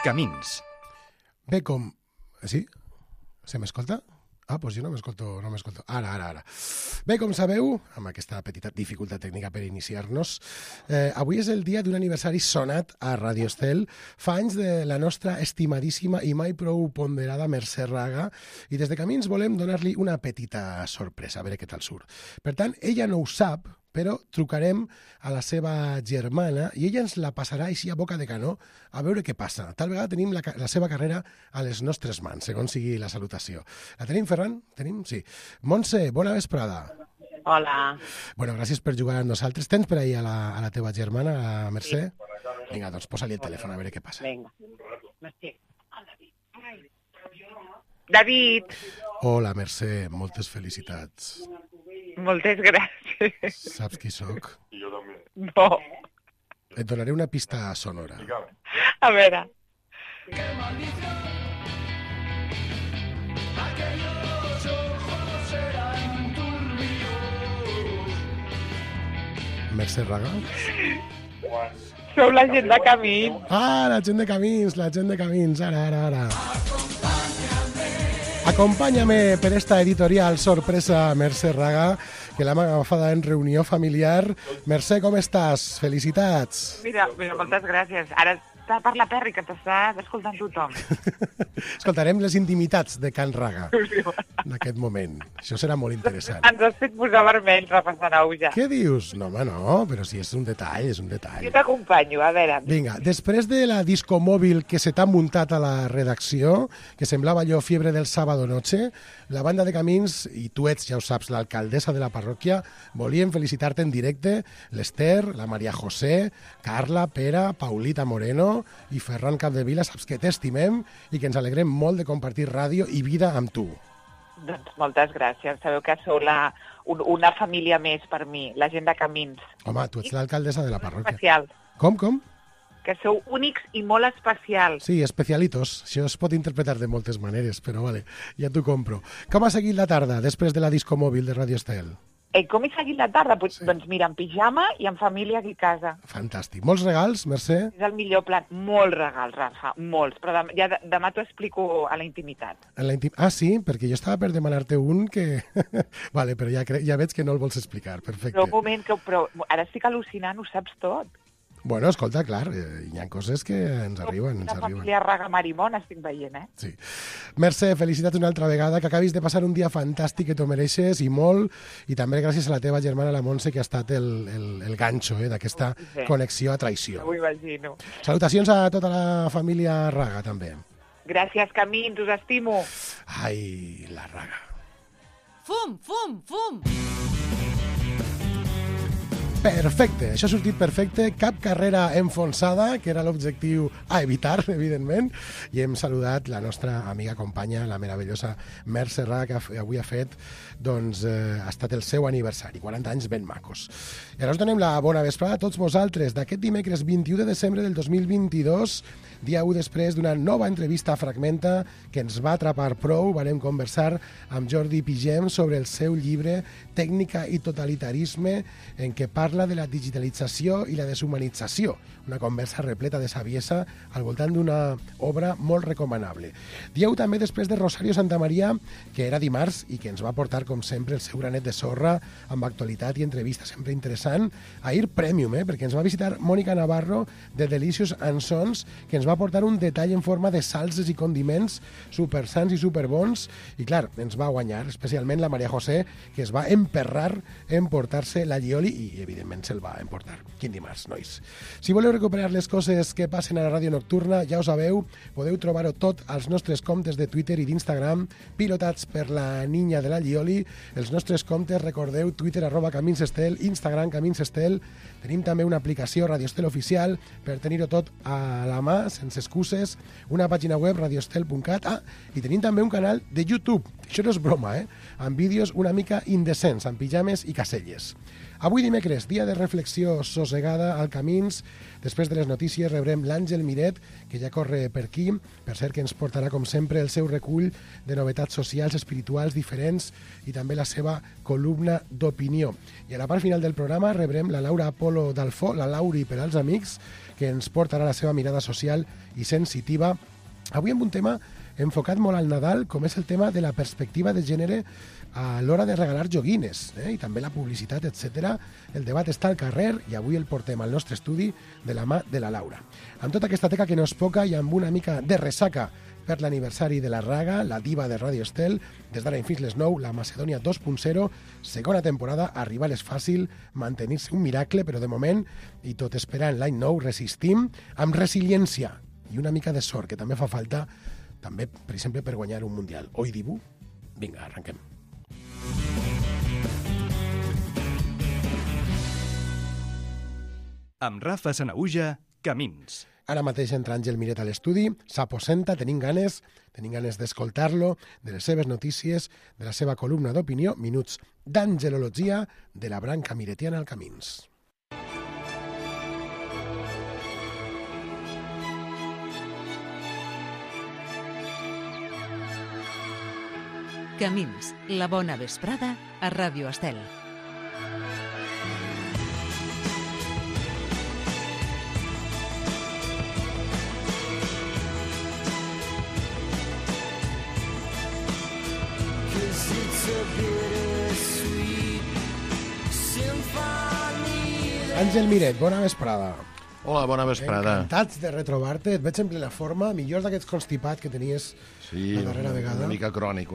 Camins. Bé, com... Sí? Se m'escolta? Ah, doncs jo no m'escolto. Ara. Bé, com sabeu, amb aquesta petita dificultat tècnica per iniciar-nos, avui és el dia d'un aniversari sonat a Radio Estel. Fa anys de la nostra estimadíssima i mai prou ponderada Mercè Raga, i des de Camins volem donar-li una petita sorpresa, a veure què tal surt. Per tant, ella no ho sap, però trucarem a la seva germana i ella ens la passarà així a boca de canó a veure què passa. Tal vegada tenim la seva carrera a les nostres mans, segons sigui la salutació. La tenim, Ferran? Tenim? Sí. Montse, bona vesprada. Hola. Bueno, gràcies per jugar amb nosaltres. Tens per ahir a la teva germana, a Mercè? Sí. Vinga, doncs posa-li el telèfon a veure què passa. Vinga. David. Hola, Mercè, moltes felicitats. Moltes gràcies. Saps qui sóc? I jo també. No. Et donaré una pista sonora. Digue'm. A veure. Mercè Raga? Sou la gent de Camins. Ah, la gent de Camins, ara. Acompáñame per esta editorial sorpresa, Mercè Raga, que l'hem agafada en reunió familiar. Mercè, com estàs? Felicitats. Mira, moltes gràcies. Ara està per la Perri, que t'està escoltant tothom. Escoltarem les intimitats de Can Raga en aquest moment. Això serà molt interessant. Ens has fet posar vermell repassant auja. Què dius? No, home, no, però si és un detall, és un detall. Jo t'acompanyo, a veure. Vinga, després de la discomòbil que se t'ha muntat a la redacció, que semblava allò fiebre del sábado noche, la banda de Camins, i tu ets, ja ho saps, l'alcaldessa de la parròquia, volien felicitar-te en directe l'Ester, la Maria José, Carla, Pere, Paulita Moreno i Ferran Capdevila. Saps que t'estimem i que ens alegrem molt de compartir ràdio i vida amb tu. Doncs moltes gràcies. Sabeu que sou una família més per mi, la gent de Camins. Home, tu ets l'alcaldessa de la parròquia. Especial. Com? Que sou únics i molt especials. Sí, especialitos. Això es pot interpretar de moltes maneres, però vale, ja t'ho compro. Com ha seguit la tarda després de la discomòbil de Radio Estel? Com he seguit la tarda? Sí. Doncs mira, en pijama i en família aquí a casa. Fantàstic. Molts regals, Mercè? És el millor plan. Molts regals, Rafa, molts. Però demà t'ho explico a la intimitat. Sí? Perquè jo estava per demanar-te un que... Vale, però ja veig que no el vols explicar. Perfecte. Però un moment, però ara estic al·lucinant, ho saps tot. Bueno, escolta, clar, hi ha coses que ens arriben. Una família Raga Marimón estic veient, Sí. Mercè, felicitats una altra vegada, que acabis de passar un dia fantàstic, que t'ho mereixes, i molt, i també gràcies a la teva germana, la Montse, que ha estat el ganxo d'aquesta connexió a traïció. Ho imagino. Salutacions a tota la família Raga, també. Gràcies, Camins, us estimo. Ai, la Raga. Fum! Perfecte, això ha sortit perfecte, cap carrera enfonsada, que era l'objectiu a evitar, evidentment, i hem saludat la nostra amiga companya, la meravellosa Mercè Raga, que avui ha fet, doncs, ha estat el seu aniversari, 40 anys ben macos. I ara us donem la bona vesprada a tots vosaltres, d'aquest dimecres 21 de desembre del 2022, dia 1 després d'una nova entrevista a Fragmenta que ens va atrapar prou. Vam conversar amb Jordi Pigem sobre el seu llibre Tècnica i totalitarisme, en què parla de la digitalització i la deshumanització. Una conversa repleta de saviesa al voltant d'una obra molt recomanable. Dia 1 també després de Rosario Santamaría, que era dimarts i que ens va portar, com sempre, el seu granet de sorra amb actualitat i entrevista sempre interessant. Ahir Premium, perquè ens va visitar Mònica Navarro de Delicious and Sons, que ens va portar un detall en forma de salses i condiments supersans i superbons, i clar, ens va guanyar, especialment la Maria José, que es va emperrar en portar-se la Lioli i, evidentment, se'l va emportar. Quin dimarts, nois. Si voleu recuperar les coses que passen a la ràdio nocturna, ja ho sabeu, podeu trobar-ho tot als nostres comptes de Twitter i d'Instagram, pilotats per la niña de la Lioli. Els nostres comptes, recordeu, Twitter @CaminsEstel, Instagram CaminsEstel. Tenim també una aplicació Radio Estel Oficial per tenir-ho tot a la mà, sense excuses, una pàgina web radioestel.cat, i tenim també un canal de YouTube, això no és broma, amb vídeos una mica indecents, amb pijames i caselles. Avui dimecres, dia de reflexió sossegada al Camins. Després de les notícies rebrem l'Àngel Miret, que ja corre per aquí, per cert que ens portarà, com sempre, el seu recull de novetats socials, espirituals, diferents, i també la seva columna d'opinió. I a la part final del programa rebrem la Laura Apolo Dalfó, la Lauri per als amics, que ens portarà la seva mirada social i sensitiva. Avui amb un tema enfocat molt al Nadal, com és el tema de la perspectiva de gènere a l'hora de regalar joguines, i també la publicitat, etc. El debat està al carrer i avui el portem al nostre estudi de la mà de la Laura. Amb tota aquesta teca que no és poca i amb una mica de ressaca per l'aniversari de la Raga, la diva de Radio Estel, des d'ara fins les 9, la Macedònia 2.0, segona temporada, arribar és fàcil, mantenir-se un miracle, però de moment, i tot esperant l'any nou, resistim amb resiliència i una mica de sort, que també fa falta, també, per exemple, per guanyar un Mundial. Oi, Dibu? Vinga, arrenquem. Amb Rafa Sanaüja, Camins. Ara mateix entra Àngel Miret a l'estudi, s'aposenta, tenim ganes d'escoltar-lo, de les seves notícies, de la seva columna d'opinió, minuts d'angelologia de la branca miretiana al Camins. Camins, la bona vesprada a Ràdio Estel. Àngel Miret, bona vesprada. Hola, bona vesprada. Encantats de retrobar-te. Et veig en plena forma, millor d'aquests constipat que tenies la darrera vegada. Una mica crònic.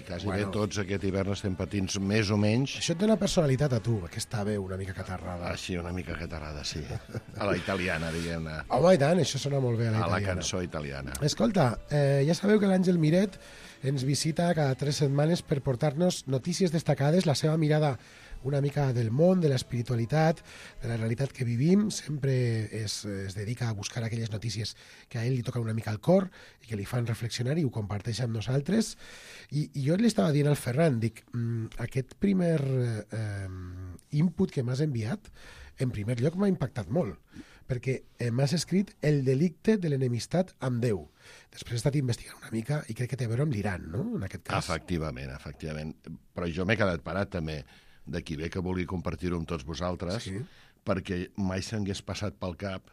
Quasi bé tots aquest hivern estem patint més o menys. Això et dona personalitat a tu, aquesta veu una mica catarrada. Sí, una mica catarrada, sí. A la italiana, diguem-ne. Home, i tant, això sona molt bé a la italiana. A la cançó italiana. Escolta, ja sabeu que l'Àngel Miret ens visita cada 3 setmanes per portar-nos notícies destacades, la seva mirada una mica del món, de l'espiritualitat, de la realitat que vivim. Sempre es dedica a buscar aquelles notícies que a ell li toquen una mica al cor i que li fan reflexionar i ho comparteix amb nosaltres. I jo li estava dient al Ferran, dic, aquest primer input que m'has enviat, en primer lloc m'ha impactat molt, perquè m'has escrit el delicte de l'enemistat amb Déu. Després he estat investigant una mica i crec que té a veure amb l'Iran, no?, en aquest cas. Efectivament. Però jo m'he quedat parat també d'aquí ve que vulgui compartir-ho amb tots vosaltres, perquè mai s'hagués passat pel cap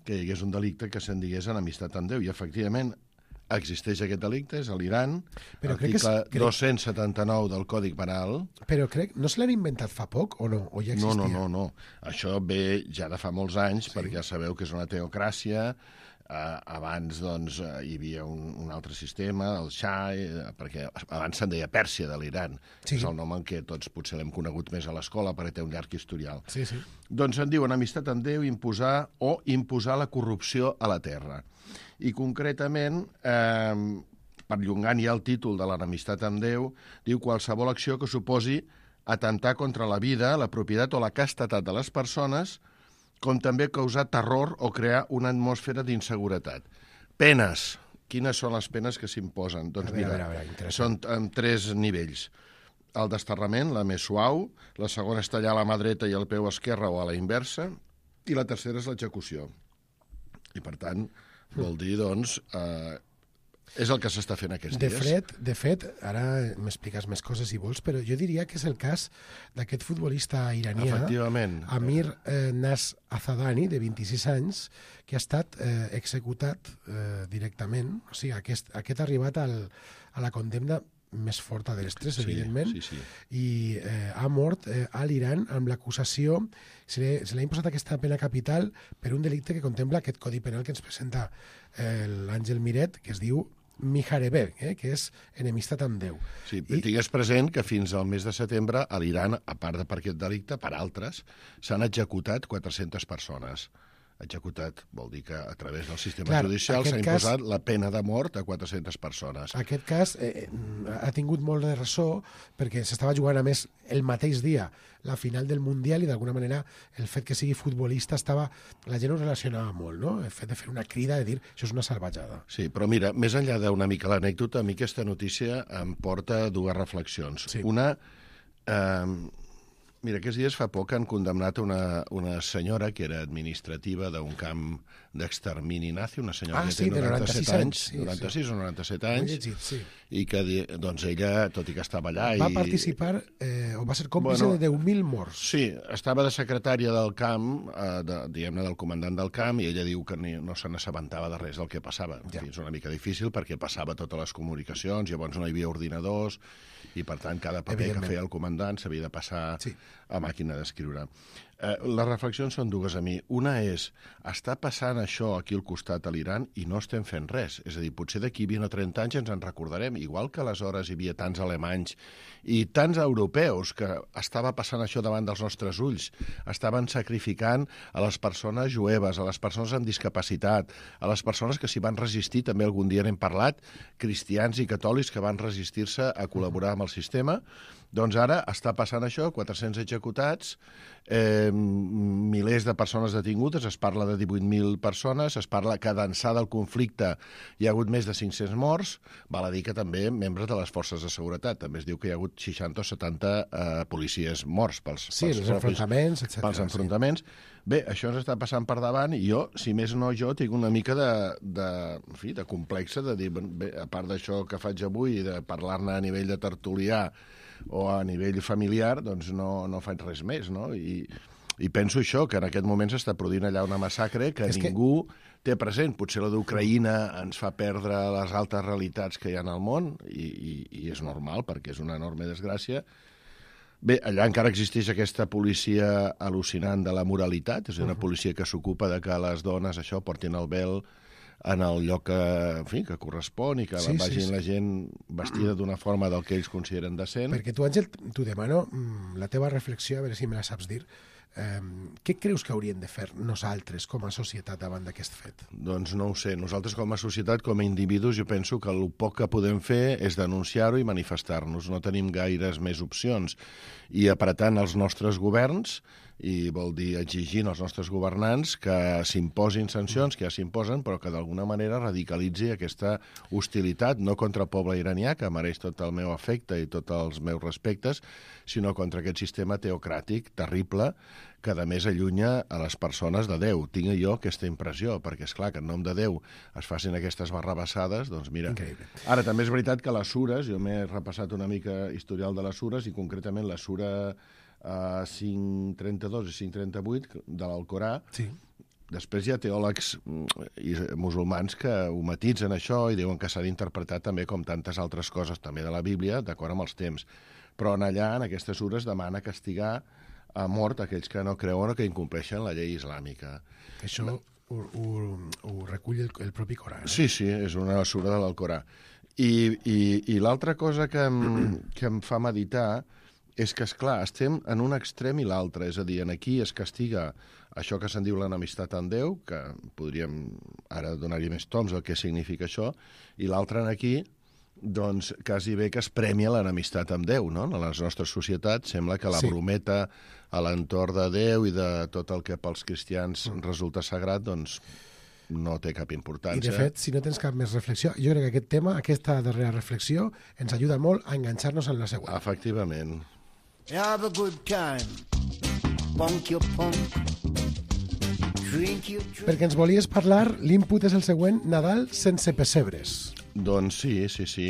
que hi hagués un delicte que se'n digués enemistat amb Déu. I, efectivament, existeix aquest delicte, és a l'Iran, article 279 del Codi Penal. Però no se l'han inventat fa poc, o no? O ja existia? No. Això ve ja de fa molts anys, perquè ja sabeu que és una teocràcia. Abans, doncs, hi havia un altre sistema, el Shah, perquè abans se'n deia Pèrsia de l'Iran. És el nom en què tots potser l'hem conegut més a l'escola, perquè té un llarg historial. Doncs se'n diu enemistat amb Déu, imposar la corrupció a la terra. I concretament, perllongant ja el títol de l'enemistat amb Déu, diu qualsevol acció que suposi atentar contra la vida, la propietat o la castetat de les persones, com també causar terror o crear una atmosfera d'inseguretat. Penes. Quines són les penes que s'imposen? Doncs mira, són en 3 nivells. El desterrament, la més suau, la segona és tallar la mà dreta i el peu esquerre o a la inversa, i la tercera és l'execució. I, per tant, vol dir, doncs, és el que s'està fent aquests dies. De fet, ara m'expliques més coses si vols, però jo diria que és el cas d'aquest futbolista iranià, Amir Naz-Azadani, de 26 anys, que ha estat executat directament. O sigui, aquest ha arribat a la condemna més forta de les 3, evidentment, i ha mort a l'Iran amb l'acusació, se l'ha imposat aquesta pena capital per un delicte que contempla aquest codi penal que ens presenta l'Àngel Miret, que es diu Mijarebé, que és enemistat amb Déu. Sí, tingues present que fins al mes de setembre a l'Iran, a part de per aquest delicte, per altres, s'han executat 400 persones. Executat vol dir que a través del sistema judicial s'ha imposat la pena de mort a 400 persones. Aquest cas ha tingut molt de ressò perquè s'estava jugant, a més, el mateix dia la final del Mundial i d'alguna manera el fet que sigui futbolista la gent ho relacionava molt, no? El fet de fer una crida, de dir, això és una salvatjada. Sí, però mira, més enllà d'una mica l'anècdota, a mi aquesta notícia em porta 2 reflexions. Una, mira, aquests dies fa poc han condemnat una senyora que era administrativa d'un camp d'extermini nazi, una senyora que sí, té 97 anys, sí, 96 o 97 anys, llegit, sí. i que doncs ella, tot i que estava allà... Va participar, o va ser còmplice de 10.000 morts. Sí, estava de secretària del camp, diguem-ne, del comandant del camp, i ella diu que no se n'assabentava de res del que passava. En fi, és una mica difícil perquè passava totes les comunicacions, llavors no hi havia ordinadors, i per tant cada paper que feia el comandant s'havia de passar a màquina d'escriure. Les reflexions són dues a mi. Una és, està passant això aquí al costat a l'Iran i no estem fent res. És a dir, potser d'aquí 20 o 30 anys ens en recordarem, igual que aleshores hi havia tants alemanys i tants europeus que estava passant això davant dels nostres ulls. Estaven sacrificant a les persones jueves, a les persones amb discapacitat, a les persones que s'hi van resistir, també algun dia n'hem parlat, cristians i catòlics que van resistir-se a col·laborar amb el sistema. Doncs ara està passant això, 400 executats, milers de persones detingudes, es parla de 18.000 persones, es parla que d'ençà del conflicte hi ha hagut més de 500 morts, val a dir que també membres de les forces de seguretat, també es diu que hi ha hagut 60 o 70 policies morts pels enfrontaments, etc. Pels enfrontaments. Bé, això ens està passant per davant i jo, si més no jo, tinc una mica de complexa de dir, bé, a part d'això que faig avui i de parlar-ne a nivell de tertulià o a nivell familiar, doncs no faig res més, no? I penso això, que en aquest moment s'està produint allà una massacre que ningú té present. Potser la d'Ucraïna ens fa perdre les altes realitats que hi ha al món, i és normal, perquè és una enorme desgràcia. Bé, allà encara existeix aquesta policia al·lucinant de la moralitat, és una policia que s'ocupa de que les dones això portin el vel en el lloc que correspon i que vagin la gent vestida d'una forma del que ells consideren decent. Perquè tu, Àngel, t'ho demano la teva reflexió, a veure si me la saps dir. Què creus que hauríem de fer nosaltres com a societat davant d'aquest fet? Doncs no ho sé. Nosaltres com a societat, com a individus, jo penso que el poc que podem fer és denunciar-ho i manifestar-nos. No tenim gaires més opcions. I apretant els nostres governs, i vol dir exigint als nostres governants que s'imposin sancions, que ja s'imposen, però que d'alguna manera radicalitzi aquesta hostilitat, no contra el poble iranià, que mereix tot el meu afecte i tots els meus respectes, sinó contra aquest sistema teocràtic terrible que a més allunya a les persones de Déu. Tinc jo aquesta impressió, perquè és clar que en nom de Déu es facin aquestes barrabassades, doncs mira. Increïble. Ara també és veritat que les sures, jo m'he repassat una mica historial de les sures, i concretament la sura 5.32 i 5.38 de l'Alcorà. Sí. Després hi ha teòlegs i musulmans que ho matitzen això i diuen que s'ha d'interpretar també com tantes altres coses també de la Bíblia, d'acord amb els temps. Però allà, en aquestes sures, demana castigar a mort aquells que no creuen o que incompleixen la llei islàmica. Això ho recull el propi Corà. Sí, és una sura de l'Alcorà. I l'altra cosa que em fa meditar és que, esclar, estem en un extrem i l'altre. És a dir, aquí es castiga això que se'n diu l'enemistat amb Déu, que podríem ara donar-hi més toms al que significa això, i l'altre aquí, doncs, quasi bé que es premia l'enemistat amb Déu, no? En les nostres societats sembla que la brometa a l'entorn de Déu i de tot el que pels cristians resulta sagrat, doncs no té cap importància. I, de fet, si no tens cap més reflexió, jo crec que aquest tema, aquesta darrera reflexió, ens ajuda molt a enganxar-nos en la següent. Efectivament. Have a good time. Punk your punk. Drink your drink. Perquè ens volies parlar, l'input és el següent, Nadal sense pessebres. Doncs sí,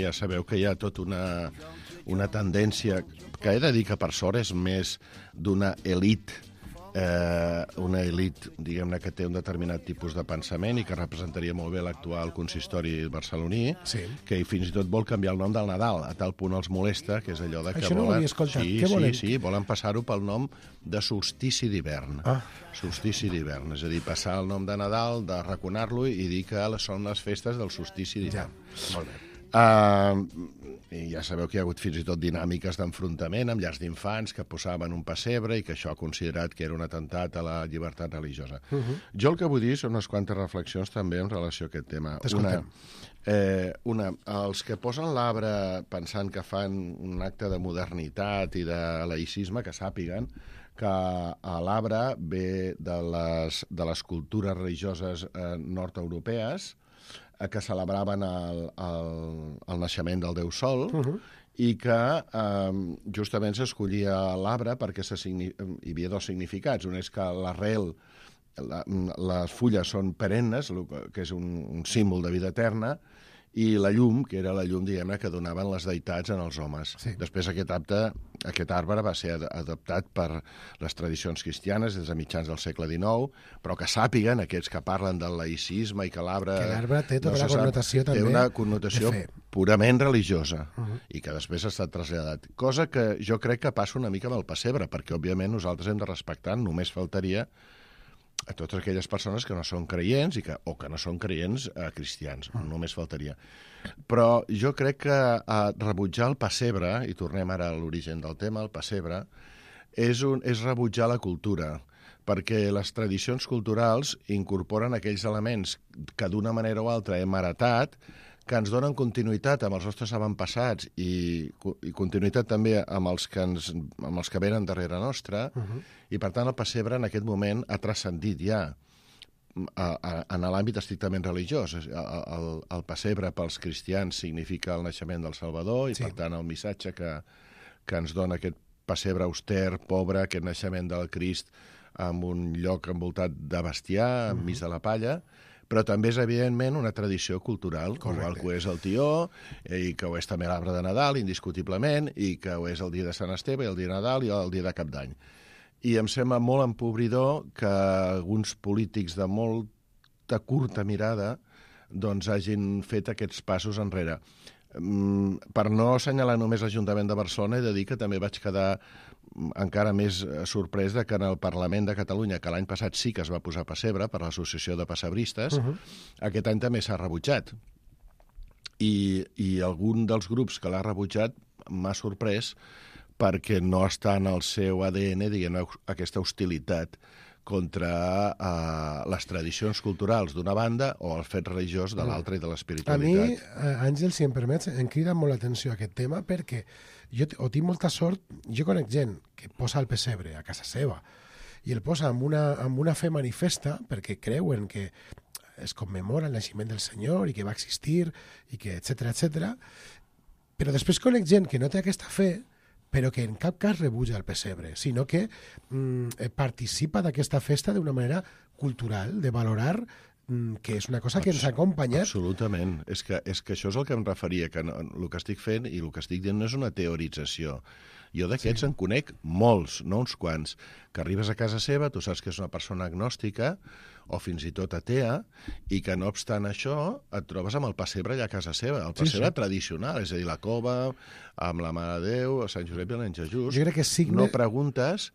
ja sabeu que hi ha tota una tendència que he de dir que per sort és més d'una elit, una elit, diguem-ne, que té un determinat tipus de pensament i que representaria molt bé l'actual consistori barceloní, que fins i tot vol canviar el nom del Nadal, a tal punt els molesta, que és allò de que això no ho havia escoltat. Què volen? Sí, volen passar-ho pel nom de solstici d'hivern. Solstici d'hivern, és a dir, passar el nom de Nadal, de raconar-lo i dir que són les festes del solstici d'hivern. Molt bé. I ja sabeu que hi ha hagut fins i tot dinàmiques d'enfrontament amb llars d'infants que posaven un pessebre i que això ha considerat que era un atemptat a la llibertat religiosa. Jo el que vull dir són unes quantes reflexions també en relació a aquest tema. Els que posen l'arbre pensant que fan un acte de modernitat i de laïcisme, que sàpiguen que l'arbre ve de les cultures religioses nord-europees que celebraven el naixement del Déu Sol i que justament s'escollia l'arbre perquè hi havia dos significats. Un és que l'arrel les fulles són perennes, que és un símbol de vida eterna, i la llum, que era la llum, diguem-ne, que donaven les deïtats en els homes. Sí. Després aquest arbre va ser adoptat per les tradicions cristianes des de mitjans del segle XIX, però que sàpiguen, aquests que parlen del laïcisme i que l'arbre... Que l'arbre té tota la connotació també té una connotació de fe. purament religiosa i que després ha estat traslladat. Cosa que jo crec que passa una mica amb el pessebre, perquè, òbviament, nosaltres hem de respectar, només faltaria, a totes aquelles persones que no són creients o que no són creients cristians, només faltaria. Però jo crec que rebutjar el pessebre, i tornem ara a l'origen del tema, el pessebre, és rebutjar la cultura, perquè les tradicions culturals incorporen aquells elements que d'una manera o altra hem heretat, que ens donen continuïtat amb els nostres avantpassats i continuïtat també amb els que venen darrere nostra, i per tant el pessebre en aquest moment ha transcendit ja en l'àmbit estrictament religiós. El pessebre pels cristians significa el naixement del Salvador i per tant el missatge que ens dona aquest pessebre auster, pobre, aquest naixement del Crist en un lloc envoltat de bestiar, enmig de la palla, però també és, evidentment, una tradició cultural, igual que ho és el tió, i que ho és també l'arbre de Nadal, indiscutiblement, i que ho és el dia de Sant Esteve, el dia de Nadal i el dia de Cap d'Any. I em sembla molt empobridor que alguns polítics de molta curta mirada doncs hagin fet aquests passos enrere. Per no assenyalar només l'Ajuntament de Barcelona, he de dir que també vaig quedar encara més sorprès de que en el Parlament de Catalunya, que l'any passat sí que es va posar pessebre per l'Associació de Pessebristes, aquest any també s'ha rebutjat. I algun dels grups que l'ha rebutjat m'ha sorprès perquè no està en el seu ADN, diguem, aquesta hostilitat contra les tradicions culturals d'una banda o el fet religiós de l'altra i de l'espiritualitat. A mi, Àngel, si em permets, em crida molt l'atenció aquest tema perquè jo tinc molta sort, jo conec gent que posa el pessebre a casa seva i el posa amb una fe manifesta perquè creuen que es commemora el naixement del Senyor i que va existir, i que etcètera, però després conec gent que no té aquesta fe però que en cap cas rebutja el pessebre, sinó que participa d'aquesta festa d'una manera cultural, de valorar que és una cosa que ens ha acompanyat. Absolutament. És que això és el que em referia, que el que estic fent i el que estic dient no és una teorització. Jo d'aquests en conec molts, no uns quants, que arribes a casa seva, tu saps que és una persona agnòstica o fins i tot atea, i que no obstant això et trobes amb el pessebre allà a casa seva, el pessebre tradicional, és a dir, la cova, amb la Mare de Déu, el Sant Josep i el Nen Jesús. Jo crec que No preguntes,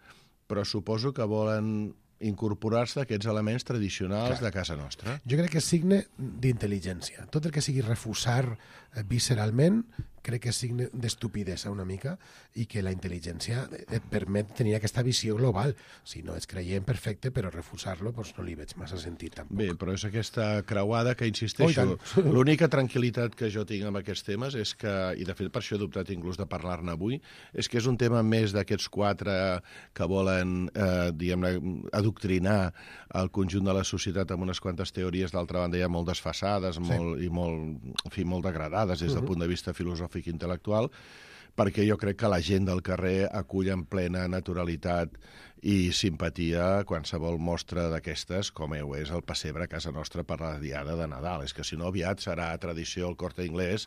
però suposo que volen incorporar-se aquests elements tradicionals de casa nostra. Jo crec que és signe d'intel·ligència. Tot el que sigui refusar visceralment, crec que és signe d'estupidesa una mica, i que la intel·ligència et permet tenir aquesta visió global. Si no ets creient, perfecte, però refusar-lo doncs no li veig massa sentit tampoc. Bé, però és aquesta creuada que, insisteixo, l'única tranquil·litat que jo tinc amb aquests temes és que, i de fet per això he dubtat inclús de parlar-ne avui, és que és un tema més d'aquests quatre que volen, diguem-ne, adoctrinar el conjunt de la societat amb unes quantes teories, d'altra banda ja molt desfasades i molt degradades des del punt de vista filosòfic i intel·lectual, perquè jo crec que la gent del carrer acull en plena naturalitat i simpatia qualsevol mostra d'aquestes, com ho és el pessebre a casa nostra per la diada de Nadal. És que si no aviat serà tradició el Corte Inglés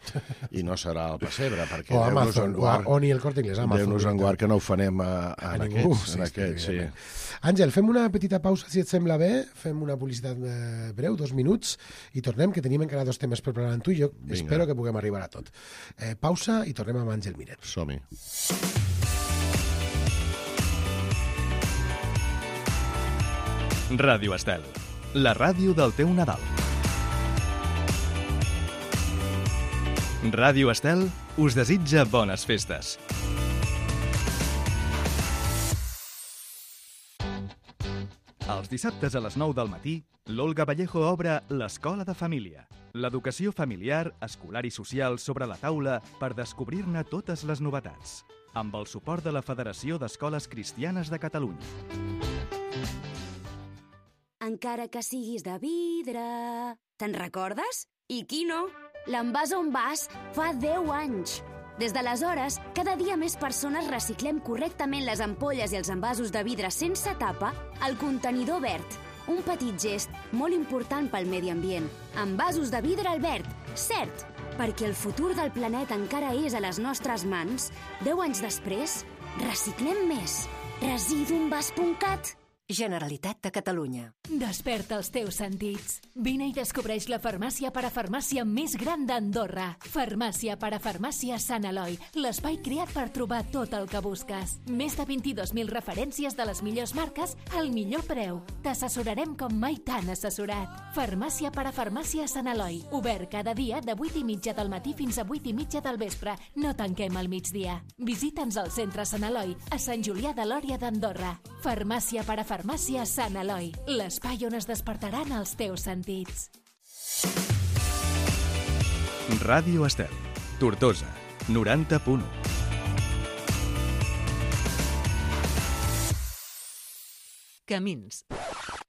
i no serà el pessebre, perquè o Amazon, o ni el Corte Inglés, Amazon. Déu-nos en guard que no ho fanem a ningú. Aquests, sí. Àngel, fem una petita pausa, si et sembla bé, fem una publicitat breu, 2 minuts, i tornem, que tenim encara 2 temes per parlar amb tu, i jo espero que puguem arribar a tot. Pausa i tornem amb Àngel Miret. Som-hi. Ràdio Estel, la ràdio del teu Nadal. Ràdio Estel us desitja bones festes. Els dissabtes a les 9 del matí, l'Olga Vallejo obre l'Escola de Família. L'educació familiar, escolar i social sobre la taula per descobrir-ne totes les novetats. Amb el suport de la Federació d'Escoles Cristianes de Catalunya. Encara que siguis de vidre... Te'n recordes? I qui no? L'Envàs on vas fa 10 anys. Des d'aleshores, cada dia més persones reciclem correctament les ampolles i els envasos de vidre sense tapa al contenidor verd, un petit gest molt important pel medi ambient. Envasos de vidre Albert, cert, perquè el futur del planeta encara és a les nostres mans. 10 anys després, reciclem més. Residuenvas.cat. Generalitat de Catalunya. Desperta els teus sentits. Vine i descobreix la farmàcia parafarmàcia més gran d'Andorra. Farmàcia parafarmàcia Sant Eloi, l'espai creat per trobar tot el que busques. Més de 22.000 referències de les millors marques al millor preu. T'assessorarem com mai t'han assessorat. Farmàcia parafarmàcia Sant Eloi. Obert cada dia de 8:30 del matí fins a 8:30 del vespre. No tanquem al migdia. Visita'ns al centre Sant Eloi, a Sant Julià de Lòria d'Andorra. Farmàcia parafarmàcia Sant Eloi, l'espai on es despertaran els teus sentits. Ràdio Estel, Tortosa, 90.1. Camins.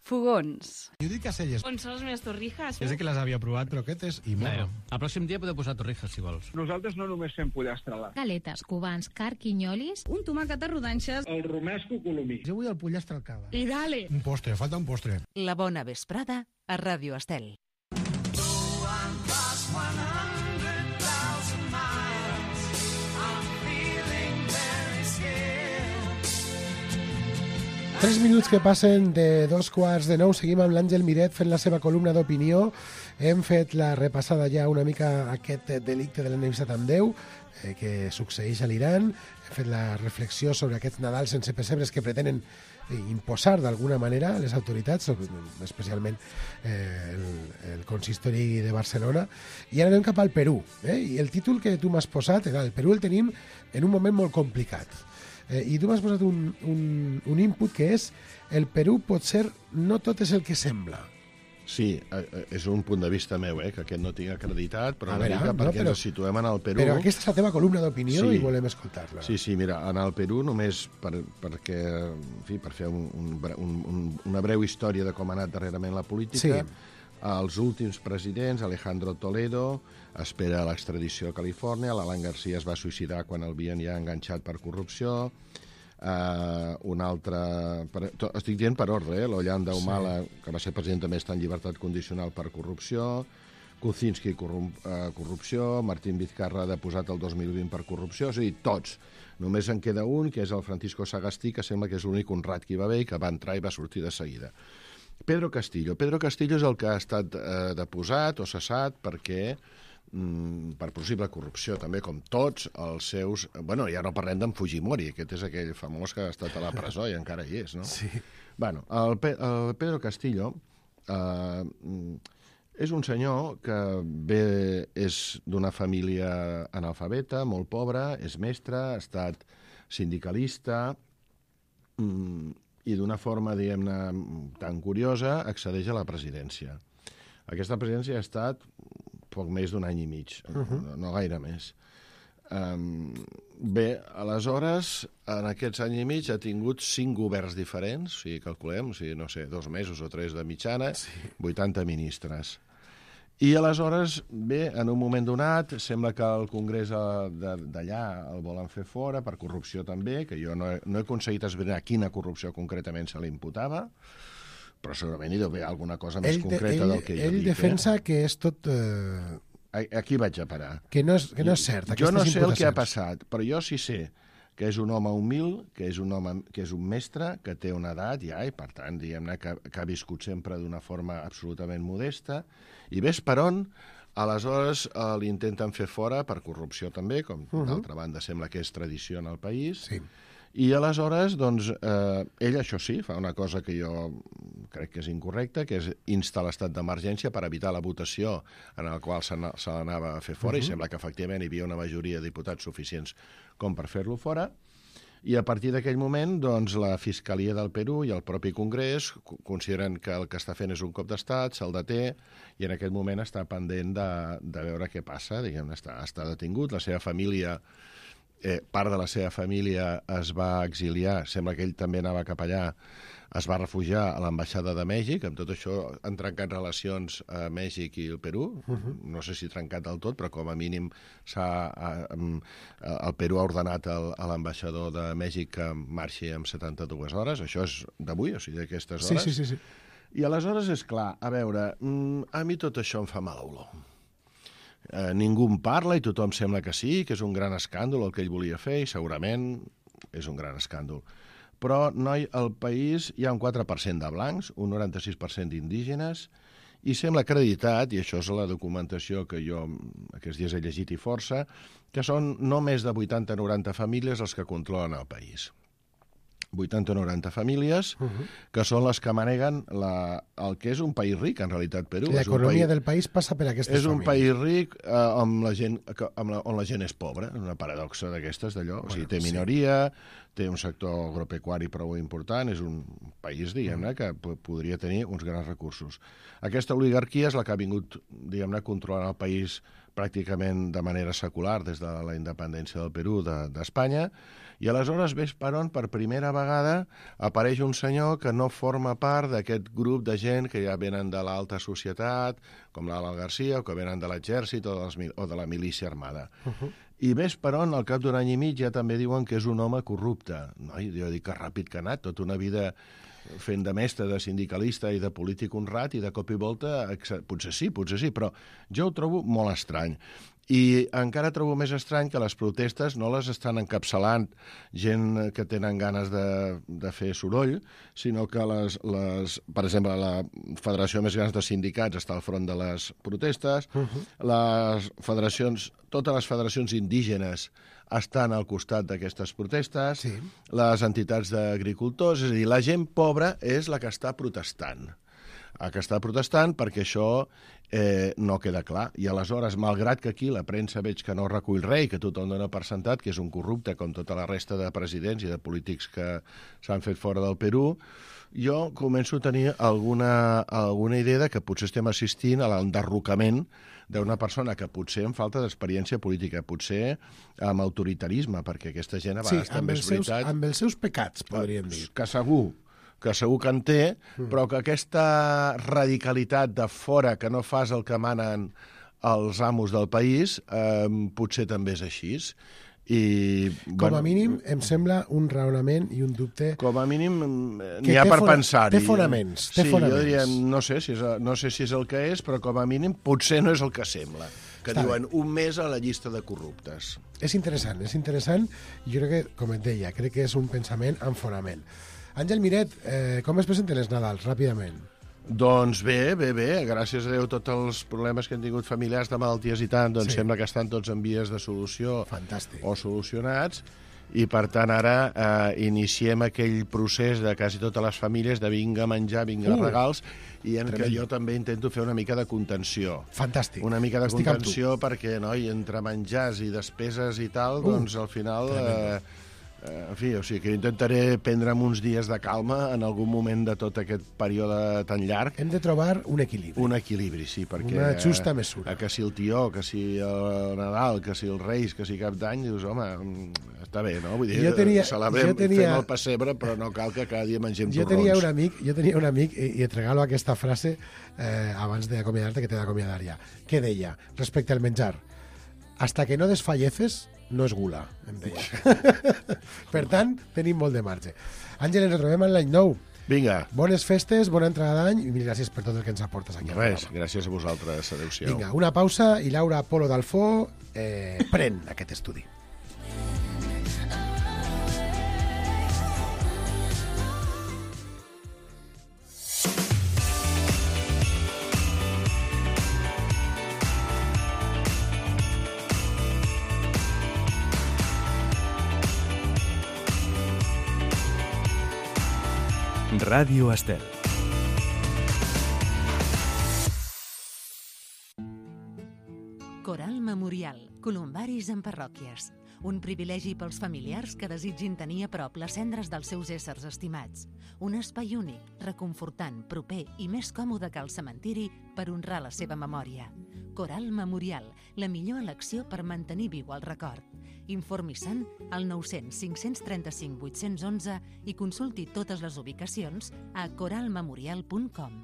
Fogons. Jo dic Caselles. On són les meves torrijas? Ja sé que les havia provat, però aquest és i molt. El pròxim dia podeu posar torrijas, si vols. Nosaltres no només fem pollastre a la... Galetes, cubans, carquinyolis... Un tomàquet a rodanxes... El romesco colomí. Jo vull el pollastre al cava. I dale! Un postre, falta un postre. La bona vesprada a Ràdio Estel. Tres minuts que passen de 8:45. Seguim amb l'Àngel Miret fent la seva columna d'opinió. Hem fet la repassada ja una mica aquest delicte de l'enemistat amb Déu que succeeix a l'Iran. Hem fet la reflexió sobre aquests Nadals sense pessebres que pretenen imposar d'alguna manera les autoritats, especialment el consistori de Barcelona. I ara anem cap al Perú. I el títol que tu m'has posat, el Perú el tenim en un moment molt complicat. I tu m'has posat un input que és el Perú potser no tot és el que sembla. Sí, és un punt de vista meu, que aquest no tinc acreditat, però una mica perquè ens situem en el Perú. Però aquesta és la teva columna d'opinió i volem escoltar-la. Sí, mira, en el Perú només perquè, en fi, per fer una breu història de com ha anat darrerament la política, els últims presidents, Alejandro Toledo, espera l'extradició a Califòrnia, l'Alan García es va suïcidar quan el havien ja enganxat per corrupció, un altre... Estic dient per ordre, l'Ollanta Humala, que va ser president també està en llibertat condicional per corrupció, Kuczynski, corrupció, Martín Vizcarra deposat el 2020 per corrupció, és a dir, tots. Només en queda un, que és el Francisco Sagastí, que sembla que és l'únic honrat que hi va haver i que va entrar i va sortir de seguida. Pedro Castillo és el que ha estat deposat o cessat perquè per possible corrupció, també com tots els seus... Bueno, ja no parlem d'en Fujimori, aquest és aquell famós que ha estat a la presó i encara hi és, no? Sí. Bueno, el Pedro Castillo és un senyor que és d'una família analfabeta, molt pobra, és mestre, ha estat sindicalista i d'una forma, diguem-ne, tan curiosa, accedeix a la presidència. Aquesta presidència ha estat poc més d'un any i mig, no gaire més. Bé, aleshores, en aquests anys i mig ha tingut 5 governs diferents, si calculem, no sé, 2 mesos o 3 de mitjana, 80 ministres. I aleshores, bé, en un moment donat, sembla que el Congrés d'allà el volen fer fora, per corrupció també, que jo no he aconseguit esbrinar quina corrupció concretament se li imputava, però segurament hi deu haver alguna cosa més concreta del que jo dic. Ell defensa que és tot... Aquí vaig a parar. Que no és cert, jo no sé el que ha passat, però jo sí sé que és un home humil, que és un mestre, que té una edat ja, i per tant, diguem-ne, que ha viscut sempre d'una forma absolutament modesta, i ves per on, aleshores l'intenten fer fora per corrupció també, com d'altra banda sembla que és tradició en el país, i aleshores, doncs, ell, això sí, fa una cosa que jo crec que és incorrecta, que és instar l'estat d'emergència per evitar la votació en la qual se l'anava a fer fora, i sembla que efectivament hi havia una majoria de diputats suficients com per fer-lo fora, i a partir d'aquell moment, doncs, la Fiscalia del Perú i el propi Congrés consideren que el que està fent és un cop d'estat, se'l deté, i en aquest moment està pendent de veure què passa, diguem-ne, està detingut, la seva família... part de la seva família es va exiliar, sembla que ell també anava cap allà, es va refugiar a l'ambaixada de Mèxic, amb tot això han trencat relacions a Mèxic i el Perú, no sé si trencat del tot, però com a mínim el Perú ha ordenat a l'ambaixador de Mèxic que marxi en 72 hores, això és d'avui, o sigui, d'aquestes hores. Sí. I aleshores, és clar, a veure, a mi tot això em fa mala olor. Ningú en parla i tothom sembla que sí, que és un gran escàndol el que ell volia fer, i segurament és un gran escàndol. Però, noi, al país hi ha un 4% de blancs, un 96% d'indígenes, i sembla acreditat, i això és la documentació que jo aquests dies he llegit i força, que són no més de 80-90 famílies els que controlen el país. 80 o 90 famílies, que són les que maneguen el que és un país ric, en realitat, Perú. L'economia del país passa per aquestes famílies. És un país ric on la gent és pobra, una paradoxa d'aquestes, d'allò. O sigui, té minoria, té un sector agropecuari prou important, és un país, diguem-ne, que podria tenir uns grans recursos. Aquesta oligarquia és la que ha vingut, diguem-ne, controlant el país pràcticament de manera secular des de la independència del Perú d'Espanya, i aleshores ves per on per primera vegada apareix un senyor que no forma part d'aquest grup de gent que ja venen de l'alta societat, com l'Alan García, o que venen de l'exèrcit o de la milícia armada. I ves per on, al cap d'un any i mig, ja també diuen que és un home corrupte. Jo dic que ràpid que ha anat, tota una vida fent de mestre, de sindicalista i de polític honrat, i de cop i volta, potser sí, però jo ho trobo molt estrany. I encara trobo més estrany que les protestes no les estan encapçalant gent que tenen ganes de fer soroll, sinó que per exemple, la federació més gran de sindicats està al front de les protestes, totes les federacions indígenes estan al costat d'aquestes protestes, les entitats d'agricultors, és a dir, la gent pobra és la que està protestant. Perquè això no queda clar. I aleshores, malgrat que aquí la premsa veig que no recull res, que tothom dona per sentat, que és un corrupte com tota la resta de presidents i de polítics que s'han fet fora del Perú, jo començo a tenir alguna idea de que potser estem assistint a l'enderrocament d'una persona que potser amb falta d'experiència política, potser amb autoritarisme, perquè aquesta gent a vegades també és veritat... amb els seus pecats, podríem dir. Que segur que en té, però que aquesta radicalitat de fora que no fas el que manen els amos del país, potser també és així. Com a mínim, em sembla un raonament i un dubte... Com a mínim, n'hi ha per pensar-hi. Té fonaments. Sí, jo diria, no sé si és el que és, però com a mínim potser no és el que sembla. Que diuen un mes a la llista de corruptes. És interessant. Jo crec que, com et deia, crec que és un pensament amb fonament. Àngel Miret, com es presenten els Nadals, ràpidament? Doncs bé, gràcies a Déu tots els problemes que han tingut familiars de malalties i tant, doncs sembla que estan tots en vies de solució. Fantàstic. O solucionats, i per tant ara iniciem aquell procés de quasi totes les famílies de vinga menjar, vinga regals, i en què jo també intento fer una mica de contenció. Fantàstic. Una mica de contenció perquè, entre menjars i despeses i tal, doncs al final... En fi, o sigui que intentaré prendre'm uns dies de calma en algun moment de tot aquest període tan llarg. Hem de trobar un equilibri. Un equilibri, sí, perquè... Una justa mesura. Que si el tió, que si el Nadal, que si els Reis, que si Cap d'Any, dius, home, està bé, no? Vull dir, celebrem, fem el pessebre, però no cal que cada dia mengem torrons. Jo tenia un amic, i et regalo aquesta frase abans d'acomiadar-te, que t'he d'acomiadar ja, que deia, respecte al menjar, hasta que no desfalleces, no és gula, em deia. Per tant, tenim molt de marge. Àngel, ens retrobem en l'any nou. Vinga. Bones festes, bona entrada d'any, i mil gràcies per tot el que ens aportes aquí. Res, gràcies a vosaltres. Adéu-siau. Vinga, una pausa i Laura Polo d'Alfó pren aquest estudi. Ràdio Estel. Coral Memorial. Columbaris en parròquies. Un privilegi pels familiars que desitgin tenir a prop les cendres dels seus éssers estimats. Un espai únic, reconfortant, proper i més còmode que el cementiri per honrar la seva memòria. Coral Memorial, la millor elecció per mantenir viu el record. Informi-se'n al 900 535 811 i consulti totes les ubicacions a coralmemorial.com.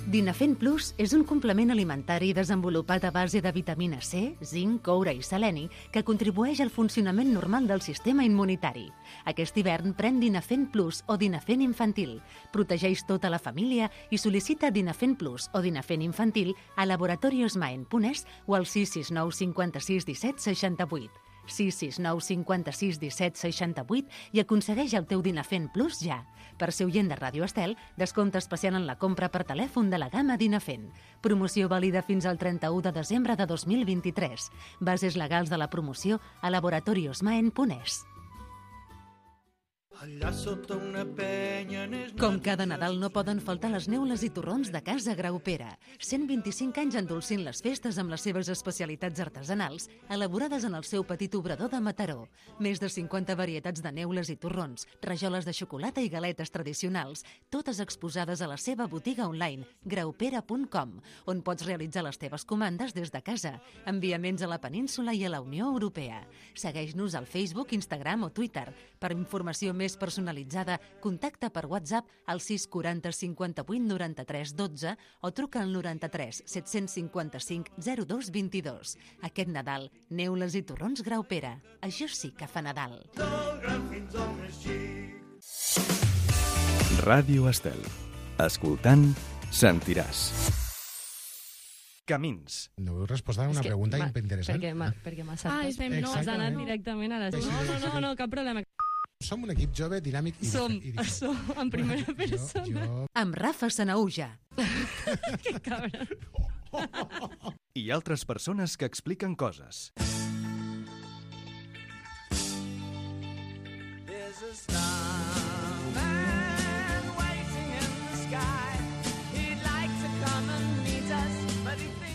Dinafen Plus és un complement alimentari desenvolupat a base de vitamina C, zinc, coure i seleni que contribueix al funcionament normal del sistema immunitari. Aquest hivern pren Dinafen Plus o Dinafen Infantil. Protegeix tota la família i sol·licita Dinafen Plus o Dinafen Infantil a laboratoriosmaen.es o al 669 56 17 68. 669 56 17 68 i aconsegueix el teu Dinafen Plus ja. Per ser oient de Ràdio Estel, descompte especial en la compra per telèfon de la gamma Dinafen. Promoció vàlida fins al 31 de desembre de 2023. Bases legals de la promoció a laboratoriosmaen.es. Allà sota una penya... Com cada Nadal no poden faltar les neules i torrons de Casa Graupera. 125 anys endolcint les festes amb les seves especialitats artesanals, elaborades en el seu petit obrador de Mataró. Més de 50 varietats de neules i torrons, rajoles de xocolata i galetes tradicionals, totes exposades a la seva botiga online, graupera.com, on pots realitzar les teves comandes des de casa, enviaments a la península i a la Unió Europea. Segueix-nos al Facebook, Instagram o Twitter. Per informació més personalitzada, contacta per WhatsApp al 640 58 93 12 o truca al 93 755 02 22. Aquest Nadal, neules i torrons Graupera. Això sí que fa Nadal. Ràdio Estel. Escoltant, sentiràs. Camins. No vull respondre a una pregunta interessant. Perquè m'ha saltat. Has anat directament a les... No, cap problema. Som un equip jove, dinàmic i diferent. Som en primera persona. Amb Rafa Sanauja. Que cabra. I altres persones que expliquen coses.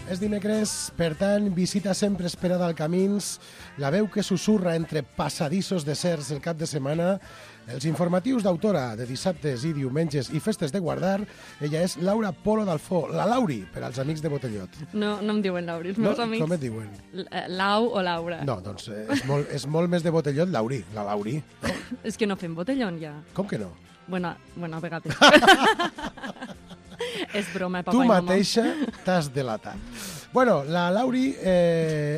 És dimecres, per tant, visita sempre esperada al Camins, la veu que susurra entre passadissos deserts el cap de setmana, els informatius d'autora de dissabtes i diumenges i festes de guardar. Ella és Laura Polo d'Alfó, la Lauri, per als amics de Botellot. No em diuen Lauri, els meus amics... Com et diuen? Lau o Laura. No, doncs és molt més de Botellot Lauri, la Lauri. No? És que no fem botellón, ja. Com que no? Bueno, a vegades. És broma, papa tu i mama. Tu mateixa t'has delatat. Bueno, la Lauri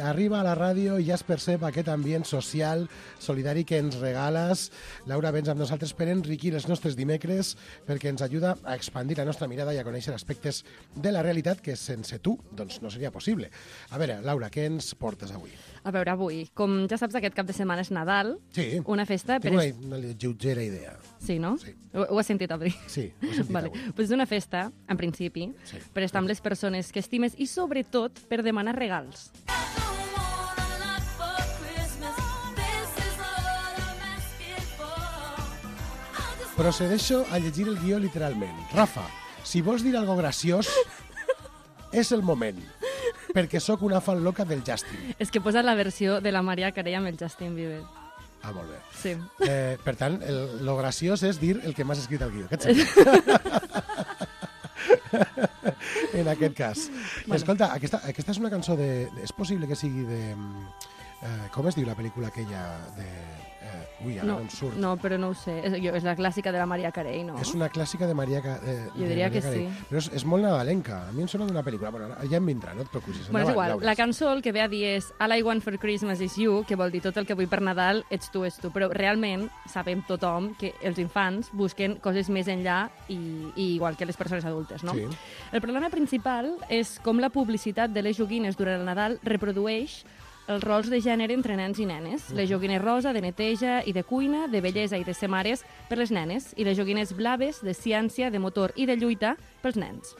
arriba a la ràdio i ja es percep aquest ambient social, solidari que ens regales. Laura, vens amb nosaltres per enriquir els nostres dimecres, perquè ens ajuda a expandir la nostra mirada i a conèixer aspectes de la realitat que sense tu doncs, no seria possible. A veure, Laura, què ens portes avui? A veure, avui, com ja saps, aquest cap de setmana és Nadal, sí. Una festa... Tinc una lleugera idea. Sí, no? Sí. Ho has sentit avui? Sí, ho he sentit vale. avui. Pues és una festa, en principi, sí. Per estar amb les persones que estimes i, sobretot, per demanar regals. Procedeixo a llegir el guió literalment. Rafa, si vols dir algo graciós, és el moment, perquè sóc una fan loca del Justin. És que posa la versió de la Mariah Carey amb el Justin Bieber. Ah, molt bé. Sí. Per tant, lo graciós és dir el que m'has escrit al guió. En aquest cas. Bueno. Escolta, aquesta és una cançó de... És possible que sigui de... com es diu la pel·lícula aquella de... Ui, ara no em surt. No, però no ho sé. És la clàssica de la Mariah Carey, no? És una clàssica de Mariah Carey. Jo diria que sí. Però és molt nadalenca. A mi em sona d'una pel·lícula. Bueno, ja em vindrà, no et preocupis. Bueno, és igual. La cançó el que ve a dir és All I want for Christmas is you, que vol dir tot el que vull per Nadal ets tu. Però realment sabem tothom que els infants busquen coses més enllà i igual que les persones adultes, no? Sí. El problema principal és com la publicitat de les joguines durant el Nadal reprodueix els rols de gènere entre nens i nenes. Les joguines rosa, de neteja i de cuina, de bellesa i de ser mares per les nenes, i les joguines blaves, de ciència, de motor i de lluita pels nens.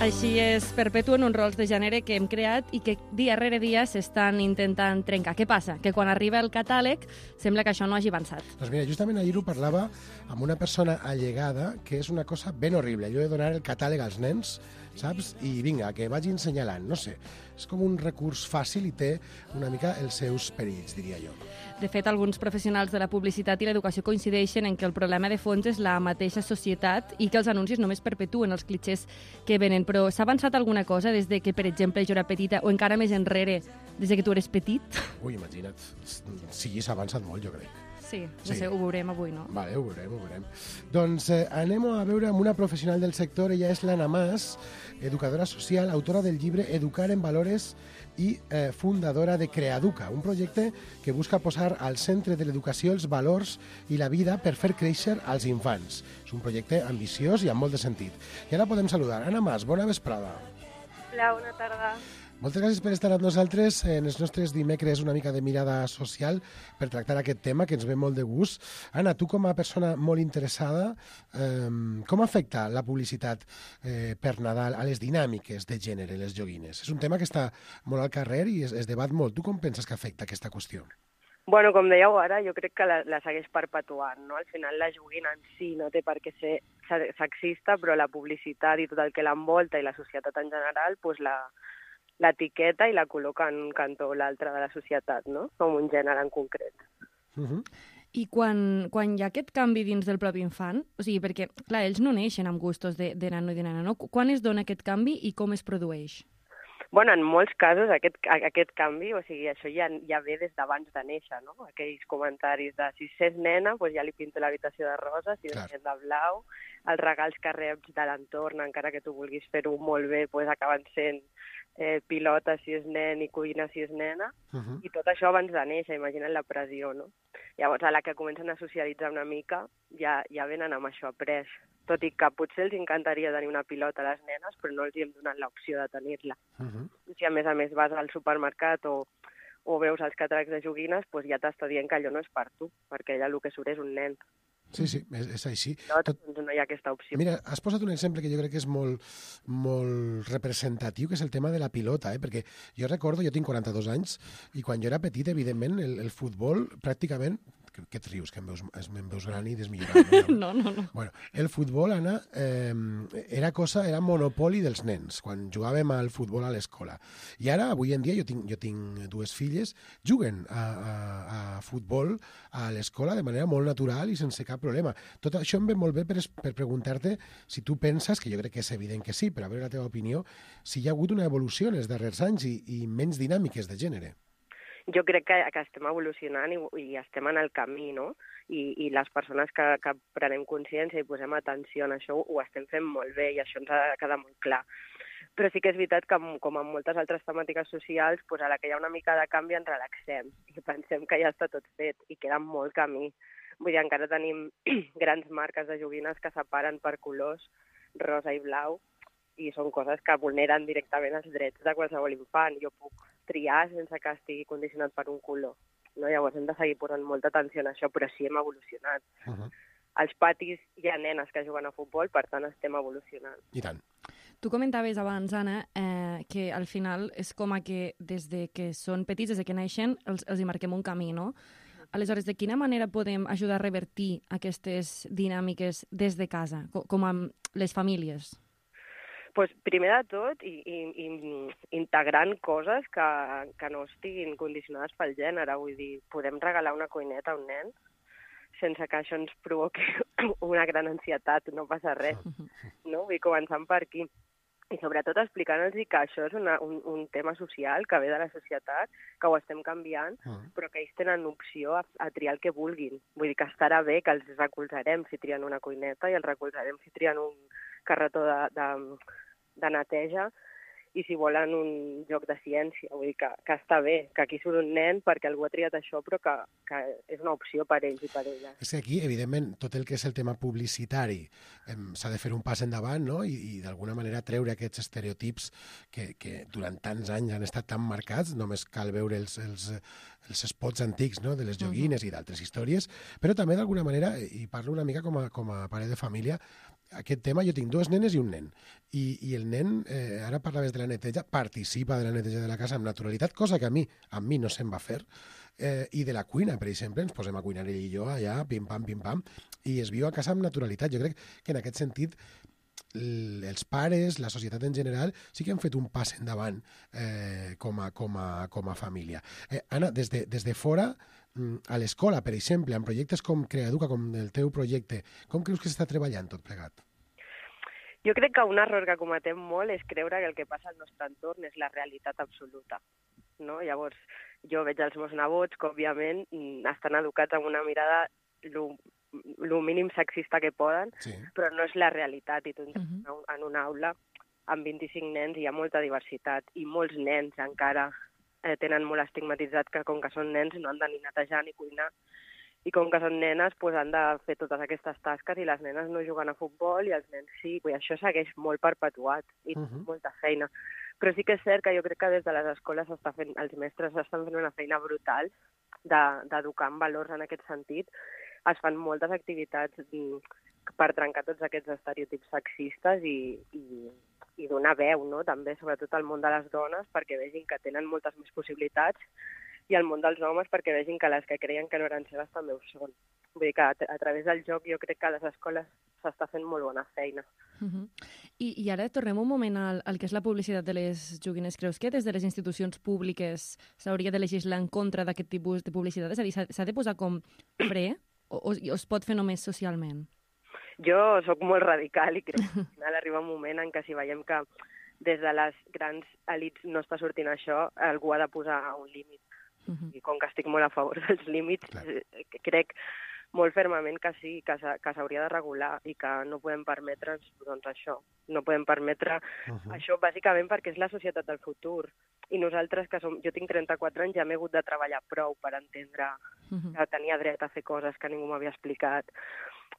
Així es perpetuen uns rols de gènere que hem creat i que dia rere dia s'estan intentant trencar. Què passa? Que quan arriba el catàleg sembla que això no hagi avançat. Doncs mira, justament ahir ho parlava amb una persona allegada que és una cosa ben horrible. Allò de donar el catàleg als nens, saps? I vinga, que vagin senyalant, no sé. És com un recurs fàcil i té una mica els seus perills, diria jo. De fet, alguns professionals de la publicitat i l'educació coincideixen en que el problema de fons és la mateixa societat i que els anuncis només perpetuen els clitxers que venen. Però s'ha avançat alguna cosa des de que, per exemple, jo era petita o encara més enrere des que tu eres petit. Ui, imagina't. Sí, s'ha avançat molt, jo crec. Sí, no sé, ho veurem avui, no? Vale, ho veurem. Doncs anem a veure amb una professional del sector. Ella és l'Anna Mas, educadora social, autora del llibre Educar en Valores i fundadora de Creaduca, un projecte que busca posar al centre de l'educació els valors i la vida per fer créixer als infants. És un projecte ambiciós i amb molt de sentit. I ara podem saludar. Anna Mas, bona vesprada. Hola, bona tarda. Moltes gràcies per estar amb nosaltres en els nostres dimecres una mica de mirada social per tractar aquest tema que ens ve molt de gust. Anna, tu com a persona molt interessada, com afecta la publicitat per Nadal a les dinàmiques de gènere, les joguines? És un tema que està molt al carrer i es debat molt. Tu com penses que afecta aquesta qüestió? Bueno, com dèieu ara, jo crec que la segueix perpetuant, no? Al final la joguina en si no té per què ser sexista, però la publicitat i tot el que l'envolta i la societat en general, doncs l'etiqueta i la col·loca en un cantó o l'altre de la societat, no? Com un gènere en concret. I quan hi ha aquest canvi dins del propi infant, o sigui, perquè, clar, ells no neixen amb gustos de nano i de nana, no? Quan es dona aquest canvi i com es produeix? Bueno, en molts casos aquest canvi, o sigui, això ja ve des d'abans de néixer, no? Aquells comentaris de si és nena, doncs ja li pinto l'habitació de rosa, si és nen de blau, els regals que reps de l'entorn, encara que tu vulguis fer-ho molt bé, doncs acaben sent pilota si és nen i cuina si és nena, i tot això abans de néixer, imagina't la pressió, no? Llavors, a la que comencen a socialitzar una mica, ja venen amb això après. Tot i que potser els encantaria tenir una pilota a les nenes, però no els hi hem donat l'opció de tenir-la. Si a més vas al supermercat o veus els catàlegs de joguines, doncs ja t'està dient que allò no és per tu, perquè allà el que surt és un nen. Sí, és així. Doncs no hi ha aquesta opció. Mira, has posat un exemple que jo crec que és molt representatiu, que és el tema de la pilota, perquè jo recordo, jo tinc 42 anys, i quan jo era petit, evidentment, el futbol pràcticament... Què et rius, que em veus gran i desmillorat? No. Bueno, el futbol, Anna, era monopoli dels nens, quan jugàvem al futbol a l'escola. I ara, avui en dia, jo tinc dues filles, juguen a futbol a l'escola de manera molt natural i sense cap problema. Tot això em ve molt bé per preguntar-te si tu penses, que jo crec que és evident que sí, però a veure la teva opinió, si hi ha hagut una evolució en els darrers anys i menys dinàmiques de gènere. Jo crec que estem evolucionant i estem en el camí, no? I les persones que prenem consciència i posem atenció en això ho estem fent molt bé i això ens ha de quedar molt clar. Però sí que és veritat que, com en moltes altres temàtiques socials, a la que hi ha una mica de canvi ens relaxem i pensem que ja està tot fet i queda molt camí. Vull dir, encara tenim grans marques de joguines que separen per colors, rosa i blau, i són coses que vulneren directament els drets de qualsevol infant. Jo puc triar sense que estigui condicionat per un color. No? Llavors hem de seguir posant molta atenció en això, però sí hem evolucionat. Als patis hi ha nenes que juguen a futbol, per tant estem evolucionant. I tant. Tu comentaves abans, Anna, que al final és com que des de que són petits, des de que naixen, els hi marquem un camí, no? Aleshores, de quina manera podem ajudar a revertir aquestes dinàmiques des de casa, com amb les famílies? Pues, primer de tot, integrant coses que no estiguin condicionades pel gènere. Vull dir, podem regalar una cuineta a un nen sense que això ens provoqui una gran ansietat, no passa res. No? Vull començar per aquí. I sobretot explicant-los que això és un tema social que ve de la societat, que ho estem canviant, però que ells tenen opció a triar el que vulguin. Vull dir que estarà bé, que els recolzarem si trien una cuineta i els recolzarem si trien un carretó de neteja i si volen un joc de ciència. Vull dir que està bé, que aquí surt un nen perquè algú ha triat això, però que és una opció per ells i per elles. És que aquí, evidentment, tot el que és el tema publicitari s'ha de fer un pas endavant, no? I d'alguna manera treure aquests estereotips que durant tants anys han estat tan marcats, només cal veure els spots antics, no? De les joguines i d'altres històries, però també d'alguna manera, i parlo una mica com a pare de família, aquest tema, jo tinc dues nenes i un nen. I el nen, ara parlaves de la neteja, participa de la neteja de la casa amb naturalitat, cosa que a mi no se'm va fer. I de la cuina, per exemple, ens posem a cuinar ell i jo allà, pim-pam, i es viu a casa amb naturalitat. Jo crec que en aquest sentit els pares, la societat en general, sí que han fet un pas endavant com a família. Anna, des de fora, a l'escola, per exemple, en projectes com Creaduca, com el teu projecte, com creus que s'està treballant tot plegat? Jo crec que un error que cometem molt és creure que el que passa al nostre entorn és la realitat absoluta. no? Llavors, jo veig els meus nebots que, òbviament, estan educats amb una mirada lo mínim sexista que poden, però no és la realitat. I tu en una aula amb 25 nens hi ha molta diversitat i molts nens encara tenen molt estigmatitzat que com que són nens no han de ni netejar ni cuinar i com que són nenes han de fer totes aquestes tasques i les nenes no juguen a futbol i els nens sí. Això segueix molt perpetuat i molta feina. Però sí que és cert que jo crec que des de les escoles els mestres estan fent una feina brutal d'educar en valors en aquest sentit. Es fan moltes activitats per trencar tots aquests estereotips sexistes i donar veu, no? També, sobretot al món de les dones, perquè vegin que tenen moltes més possibilitats, i al món dels homes perquè vegin que les que creien que no eren seves també ho són. Vull dir que a través del joc jo crec que a les escoles s'està fent molt bona feina. I ara tornem un moment al que és la publicitat de les joguines. Creus que des de les institucions públiques s'hauria de legislar en contra d'aquest tipus de publicitat? És a dir, s'ha de posar com fre o es pot fer només socialment? Jo sóc molt radical i crec que al final arriba un moment en què si veiem que des de les grans elits no està sortint això, algú ha de posar un límit. I com que estic molt a favor dels límits, crec molt fermament que sí, que s'hauria de regular i que no podem permetre'ns això. No podem permetre això bàsicament perquè és la societat del futur. I nosaltres, jo tinc 34 anys, ja m'he hagut de treballar prou per entendre que tenia dret a fer coses que ningú m'havia explicat.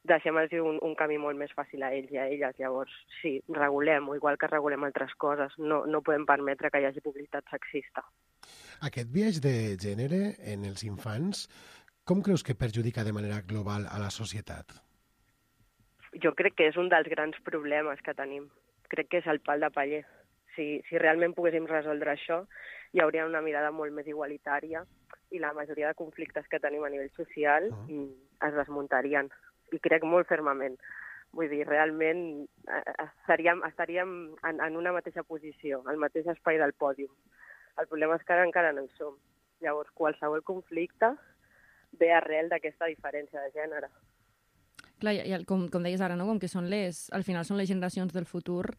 Deixem-los un camí molt més fàcil a ells i a elles. Llavors, sí, regulem-ho, igual que regulem altres coses. No podem permetre que hi hagi publicitat sexista. Aquest biaix de gènere en els infants, com creus que perjudica de manera global a la societat? Jo crec que és un dels grans problemes que tenim. Crec que és el pal de paller. Si realment poguéssim resoldre això, hi hauria una mirada molt més igualitària i la majoria de conflictes que tenim a nivell social es desmuntarien. I crec molt fermament. Vull dir, realment estaríem en una mateixa posició, al mateix espai del pòdium. El problema és que ara encara no hi som. Llavors, qualsevol conflicte ve arrel d'aquesta diferència de gènere. Clar, i com deies ara, no? Com que al final són les generacions del futur,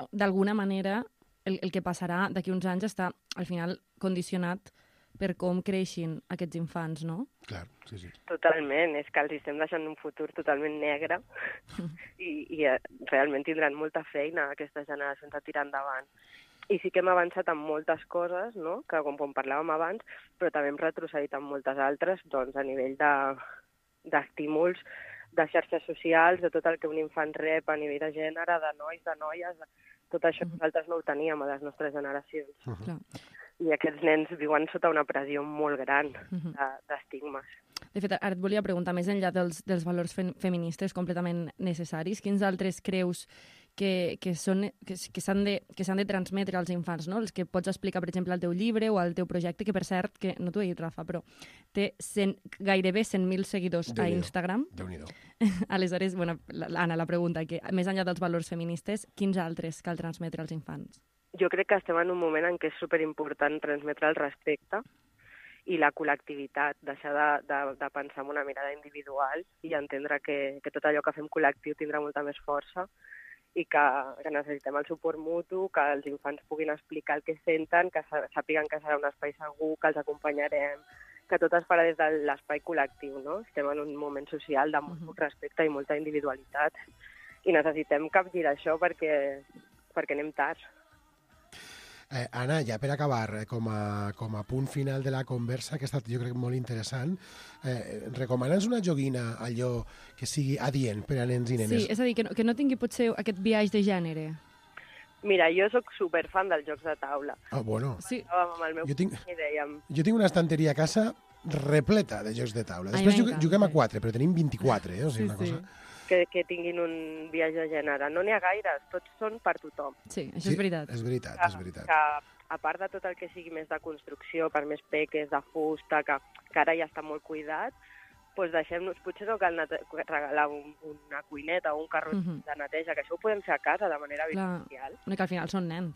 d'alguna manera el que passarà d'aquí uns anys està al final condicionat per com creixin aquests infants, no? Clar, sí. Totalment, és que els estem deixant un futur totalment negre i realment tindran molta feina aquestes generacions a tirar endavant. I sí que hem avançat en moltes coses, no? Que com parlàvem abans, però també hem retrocedit en moltes altres, doncs a nivell d'estímuls, de xarxes socials, de tot el que un infant rep a nivell de gènere, de nois, de noies, tot això nosaltres no ho teníem a les nostres generacions. I aquests nens viuen sota una pressió molt gran d'estigmes. De fet, ara et volia preguntar, més enllà dels valors feministes completament necessaris, quins altres creus que s'han de transmetre als infants, no? Els que pots explicar, per exemple, al teu llibre o al teu projecte, que per cert, que no t'ho he dit, Rafa, però té gairebé 100.000 seguidors a Instagram. Déu-n'hi-do. Aleshores, Anna, la pregunta, que més enllà dels valors feministes, quins altres cal transmetre als infants? Jo crec que estem en un moment en què és superimportant transmetre el respecte i la col·lectivitat, deixar de pensar en una mirada individual i entendre que tot allò que fem col·lectiu tindrà molta més força i que necessitem el suport mutu, que els infants puguin explicar el que senten, que sàpiguen que serà un espai segur, que els acompanyarem, que tot es farà des de l'espai col·lectiu, no? Estem en un moment social de molt respecte i molta individualitat i necessitem capgirar això perquè anem tard. Anna, ja per acabar, com a punt final de la conversa, que ha estat, jo crec, molt interessant, recomana'ns una joguina, allò que sigui adient per a nens i nenes. Sí, és a dir, que no tingui potser aquest biaix de gènere. Mira, jo sóc superfan dels jocs de taula. Ah, bueno. Sí. Amb el meu jo tinc una estanteria a casa repleta de jocs de taula. Després juguem a 4, però tenim 24, o sigui, una cosa... que tinguin un viatge de gènere. No n'hi ha gaires, tots són per tothom. Sí, això és veritat. És veritat, és veritat. Que a part de tot el que sigui més de construcció, per més peques, de fusta, que ara ja està molt cuidat, doncs deixem-nos, potser no cal regalar una cuineta o un carro de neteja, que això ho podem fer a casa de manera virtual. Que al final són nens.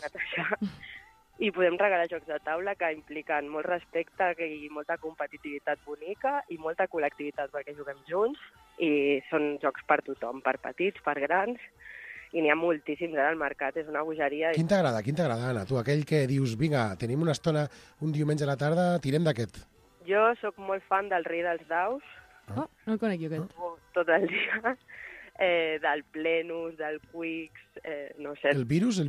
I podem regalar jocs de taula que impliquen molt respecte i molta competitivitat bonica i molta col·lectivitat perquè juguem junts i són jocs per tothom, per petits, per grans i n'hi ha moltíssims ara al mercat, és una bogeria. Quin t'agrada, Anna? Tu, aquell que dius, vinga, tenim una estona un diumenge a la tarda, tirem d'aquest. Jo sóc molt fan del Rei dels Daus. Oh, no el conec jo, aquest. Tot el dia. Del Plenus, del Quix, no sé. El virus o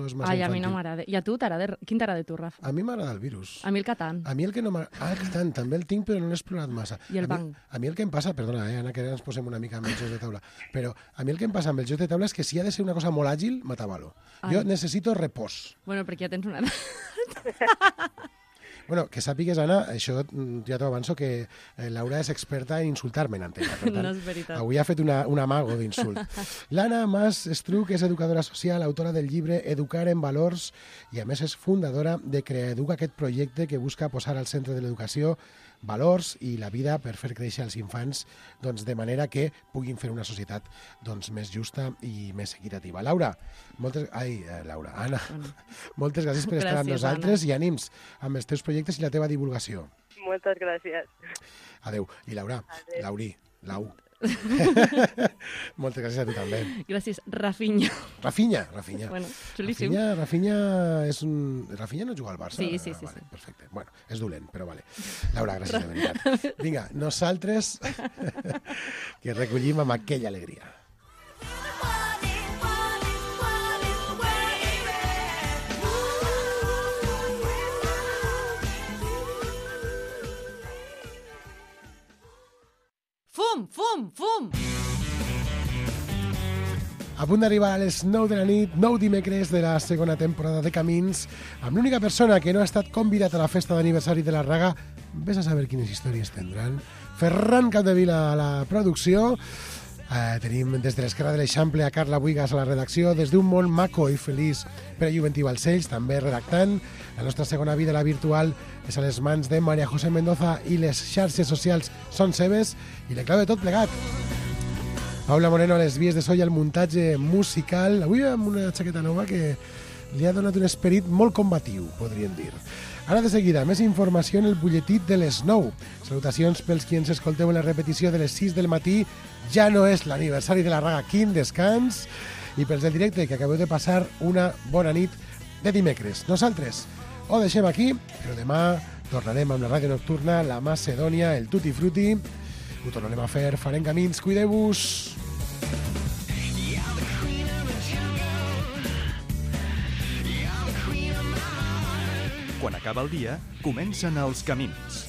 és massa Ai, a mi infantil? no m'agrada. I a tu t'agrada? Quin t'agrada a tu, Rafa? A mi m'agrada el virus. A mi el Catan. A mi el que no m'agrada... el Catan, també el tinc, però no l'he explorat massa. I el banc. A mi el que em passa, perdona, Anna, que ara ens posem una mica amb els jocs de taula, però a mi el que em passa amb els jocs de taula és que si ha de ser una cosa molt àgil, m'atabalo. Jo necessito repòs. Bueno, perquè ja tens una edat. Bueno, que sàpigues, Anna, això ja t'ho avanço, que Laura és experta en insultar-me en antena. Per tant, no és veritat. Avui ha fet un amago d'insult. L'Anna Mas Estruc és educadora social, autora del llibre Educar en Valors i, a més, és fundadora de Creaeduca, aquest projecte que busca posar al centre de l'educació valors i la vida per fer créixer els infants doncs, de manera que puguin fer una societat doncs, més justa i més equitativa. Laura, Anna, moltes gràcies per estar amb nosaltres, Anna, i ànims amb els teus projectes i la teva divulgació. Moltes gràcies. Adéu. I Laura, Lau. Moltes gràcies a tu també. Gràcies, Rafinha. Rafinha. Bueno, xulíssim. Rafinha és un... Rafinha no juga al Barça? Sí. Vale, perfecte. Bueno, és dolent, però vale. Laura, gràcies de veritat. Vinga, nosaltres que recollim amb aquella alegria. Fum! A punt d'arribar a les 9 de la nit, 9 dimecres de la segona temporada de Camins, amb l'única persona que no ha estat convidat a la festa d'aniversari de la Raga. Vés a saber quines històries tindran. Ferran Capdevila a la producció. Tenim des de l'Esquerra de l'Eixample a Carla Buigas a la redacció, des d'un món maco i feliç per a Juventí Balcells, també redactant. La nostra segona vida, la virtual, és a les mans de María José Mendoza i les xarxes socials són seves i la clau de tot plegat. Paula Moreno a les vies de so i al muntatge musical, avui amb una jaqueta nova que li ha donat un esperit molt combatiu, podríem dir. Ara de seguida, més informació en el butlletí de les 9. Salutacions pels qui ens escolteu en la repetició de les 6 del matí. Ja no és l'aniversari de la Raga, quin descans. I pels del directe, que acabeu de passar una bona nit de dimecres. Nosaltres ho deixem aquí, però demà tornarem amb la ràdio nocturna, la Macedònia, el Tutti Frutti. Ho tornarem a fer, farem camins, cuideu-vos. Quan acaba el dia, comencen els camins.